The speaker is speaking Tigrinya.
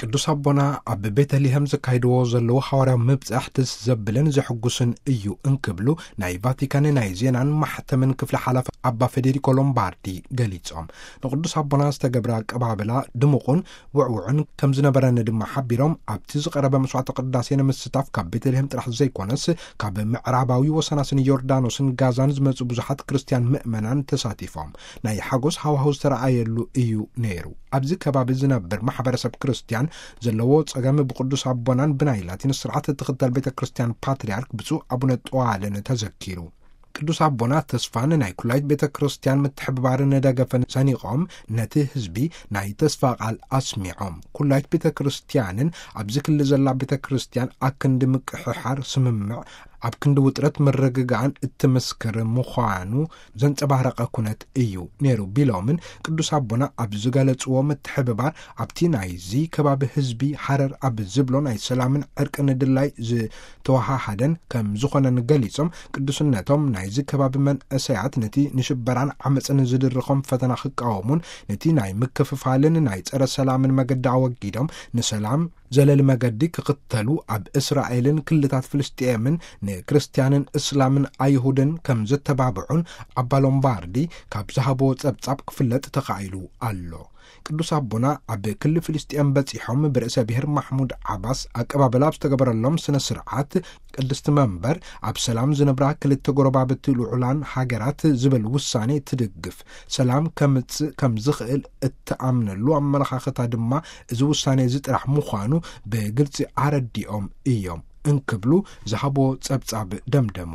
ቅዱስ ኣቦና ኣብ ቤተልሔም ዘካይድዎ ዘለዉ ሓዋርያዊ ምብጻሕ ደስ ዘብልን ዘሕጉስን እዩ እንክብሉ ናይ ቫቲካን ናይ ዜናን ማሕተምን ክፍሊ ሓላፊ ኣባ ፌዴሪኮ ሎምባርዲ ገሊጾም። ንቅዱስ ኣቦና ዝተገብረ ኣቀባብላ ድሙቑን ውዕውዕን ከም ዝነበረን ድማ ሓቢሮም፣ ኣብቲ ዝቐረበ መስዋዕተ ቅዳሴ ንምስታፍ ካብ ቤተልሔም ጥራሕ ዘይኮነስ ካብ ምዕራባዊ ወሰናስን ዮርዳኖስን ጋዛን ዝመጹ ብዙሓት ክርስትያን ምእመናን ተሳቲፎም። ናይ ሓጎስ ሃዋህው ዝተረኣየሉ እዩ ነይሩ። ኣብዚ ከባቢ ዝነብር ማሕበረሰብ ክርስትያን ዘለዎ ጸገም ብቅዱስ ኣቦናን ብናይ ላቲን ስርዓት እትኽተል ቤተ ክርስትያን ፓትርያርክ ብፁዕ ኣቡነ ጠዋልን ተዘኪሩ። ቅዱስ ኣቦና ተስፋን ናይ ኩላይት ቤተ ክርስትያን ምትሕብባርን ደገፈን ሰኒቖም፣ ነቲ ህዝቢ ናይ ተስፋ ቃል ኣስሚዖም። ኩላይት ቤተ ክርስትያንን ኣብዚ ክሊ ዘላ ቤተ ክርስትያን ኣክንዲ ምቅሕሓር፣ ስምምዕ፣ ኣብ ክንዲ ውጥረት ምርግጋእን እትምስክር ምዃኑ ዘንጸባረቐ ኩነት እዩ ነይሩ ቢሎምን፣ ቅዱስ ኣቦና ኣብ ዝገለጽዎ ምትሕብባር ኣብቲ ናይዚ ከባቢ ህዝቢ ሃረር ኣብ ዝብሎ ናይ ሰላምን ዕርቅን ድላይ ዝተወሃሃደን ከም ዝኾነን ገሊጾም፣ ቅዱስነቶም ናይዚ ከባቢ መንእሰያት ነቲ ንሽበራን ዓመጽን ዝድርኾም ፈተና ክቃወሙን ነቲ ናይ ምክፍፋልን ናይ ጸረ ሰላምን መገዲ ኣወጊዶም ንሰላም ዘለሊ መገዲ ክኽተሉ፣ ኣብ እስራኤልን ክልታት ፍልስጤምን ንክርስትያንን እስላምን ኣይሁድን ከም ዘተባብዑን ኣባ ሎምባርዲ ካብ ዝሃብዎ ጸብጻብ ክፍለጥ ተኻኢሉ ኣሎ። ቅዱስ ኣቦና ኣብ ክሊ ፍልስጤም በጺሖም ብርእሰ ብሔር ማሕሙድ ዓባስ ኣቀባበላ ኣብ ዝተገበረሎም ስነ ስርዓት፣ ቅድስቲ መንበር ኣብ ሰላም ዝነብራ ክልተ ጎረባብቲ ልዑላን ሃገራት ዝብል ውሳኔ ትድግፍ፣ ሰላም ከምጽእ ከም ዝኽእል እትኣምነሉ ኣመለኻኽታ ድማ እዚ ውሳኔ እዚ ጥራሕ ምዃኑ ብግልጺ ኣረዲኦም እዮም እንክብሉ ዝሃብዎ ጸብጻብ ደምደሙ።